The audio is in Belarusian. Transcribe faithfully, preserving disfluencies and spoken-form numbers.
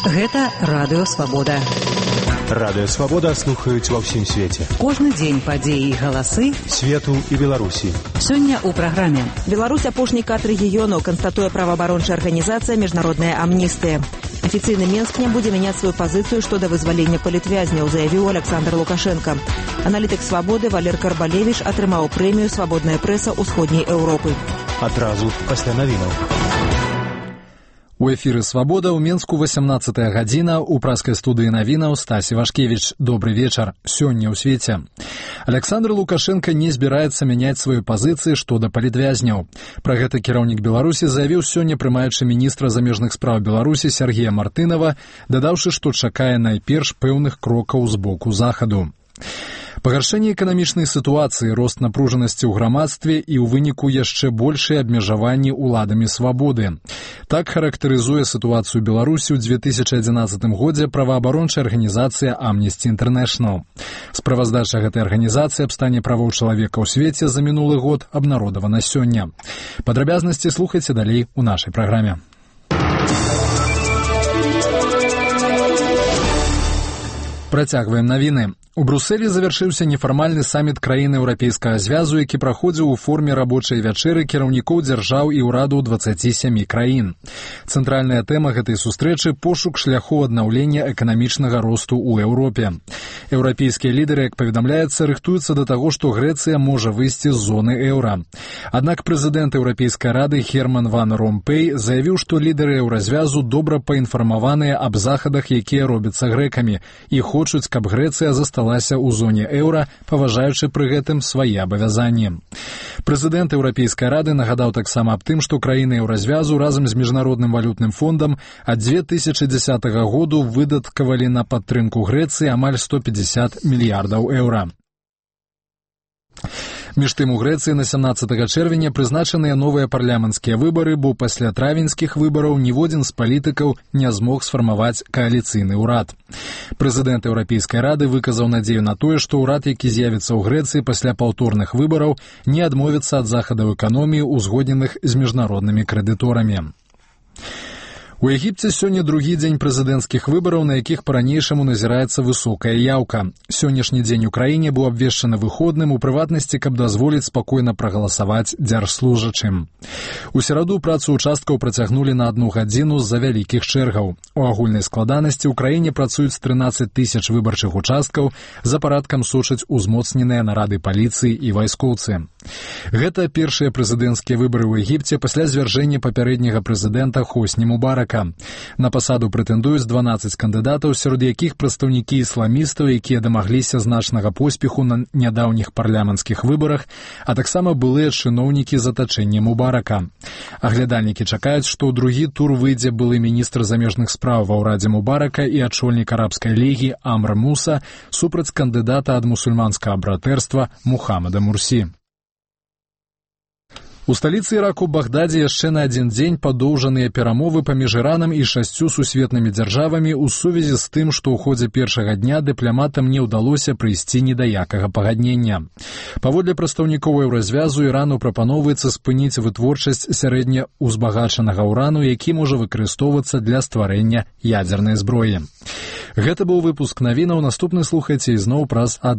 Гэта Радыё Свабода. Радыё Свабода слухаюць ва ўсім свеце. Кожны дзень падзеі і галасы свету і Беларусі. Сёння ў праграме. Беларусь апошні кат рэгіёну, канстатуе праваабарончая арганізацыя «Міжнародная амністыя». Афіцыйны Менск не будзе мяняць сваю пазіцыю што да вызвалення палітвязняў, заявіў Александр Лукашенко. Аналітык «Свабоды» Валер Карбалевіч атрымаў прэмію «Свабодная прэса ўсходняй Еўропы». Адразу пасля навінаў. У эфіры «Свабода» ў Менску васямнаццатая гадзіна, у праскай студыі навінаў Стасі Вашкевіч. Добры вечар. Сёння ў свеце. Александр Лукашенко не збіраецца мяняць сваю пазіцыі што да палітвязняў. Пра гэта кіраўнік Беларусі заявіў сёння прымаючы міністра замежных спраў Беларусі Сергея Мартынова, дадаўшы, што чакае найперш пэўных крокаў з боку захаду. Пагаршэнне эканамічнай сітуацыі, рост напружанасці ў грамадстве і ў выніку яшчэ большыя абмежаванні ўладамі свабоды. Так характарызуе сітуацыю Беларусі ў дзве тысячы адзінаццатым годзе праваабарончая арганізацыя Amnesty International. Справаздача гэтай арганізацыі аб стане правоў чалавека ў свеце за мінулы год абнародавана сёння. Падрабязнасці слухайце далей у нашай праграме. Працягваем навіны. У Брусэлі завяршыўся нефармальны саміт краін Еўрапейскага звязу, які праходзіў у форме рабочай вячэры кіраўнікоў дзяржаў і ўрадаў дваццаці сямі краін. Цэнтральная тэма гэтай сустрэчы – пошук шляхоў аднаўлення эканамічнага росту ў Еўропе. Еўрапейскія лідары, як паведамляецца, рыхтуюцца да таго, што Грэцыя можа выйсці з зоны еўра. Аднак прэзідэнт Еўрапейскай рады Герман ван Ромпэй заявіў, што лідары еўразвязу добра паінфармаваныя аб захадах, якія робяцца грэкамі, і хочуць, каб Грэцыя засталася ў зоне еўра, паважаючы пры гэтым свае абавязанні. Прэзідэнт Еўрапейскай рады нагадаў таксама аб тым, што краіны еўразвязу разам з Міжнародным валютным фондам ад дзве тысячы дзесятага году выдаткавалі на падтрымку Грэцыі амаль сто пятьдесят мільярдаў еўра. Між тым у Грэцыі на сямнаццатага чэрвеня прызначаныя новыя парламенцкія выбары, бо пасля травеньскіх выбараў ніводзін з палітыкаў не змог сфармаваць кааліцыйны ўрад. Прэзідэнт Еўрапейскай рады выказаў надзею на тое, што ўрад, які з'явіцца ў Грэцыі пасля паўторных выбараў, не адмовіцца ад захадаў эканоміі, узгодненых з міжнароднымі крэдыторамі. У Егіпце сёння другі дзень прэзідэнцкіх выбараў, на якіх па-ранейшаму назіраецца высокая яўка. Сённяшні дзень у краіне быў абвешчаны выходным, у прыватнасці, каб дазволіць спакойна прагаласаваць дзяржслужачым. У сераду працу ўчасткаў працягнулі на адну гадзіну з-за вялікіх чэргаў. У агульнай складанасці ў краіне працуюць трынаццаць тысяч выбарчых участкаў, за парадкам сочаць узмоцненыя нарады паліцыі і вайскоўцы. Гэта першыя прэзідэнцкія выбары ў Егіпце пасля звяржэння папярэдняга прэзідэнта Хосні Мубарака. На пасаду прэтэндуюць дванаццаць кандыдатаў, сярод якіх прадстаўнікі ісламістаў, якія дамагліся значнага поспеху на нядаўніх парламенцкіх выбарах, а таксама былыя чыноўнікі з атачэння Мубарака. Аглядальнікі чакаюць, што ў другі тур выйдзе былы міністр замежных спраў ва ўрадзе Мубарака і ачольнік арабскай лігі Амр Муса супраць кандыдата ад мусульманскага братэрства Мухаммада Мурсі. У сталіцы Іраку Багдадзе яшчэ на адзін дзень падоўжаныя перамовы паміж Іранам і шасцю сусветнымі дзяржавамі ў сувязі з тым, што ў ходзе першага дня дыпламатам не ўдалося прыйсці ні да якага пагаднення. Паводле прадстаўнікоў еўразвязу, Ірану прапаноўваецца спыніць вытворчасць сярэднеўзбагачанага ўрану, які можа выкарыстоўвацца для стварэння ядзернай зброі. Гэта быў выпуск навінаў, наступны слухайце ізноў праз адну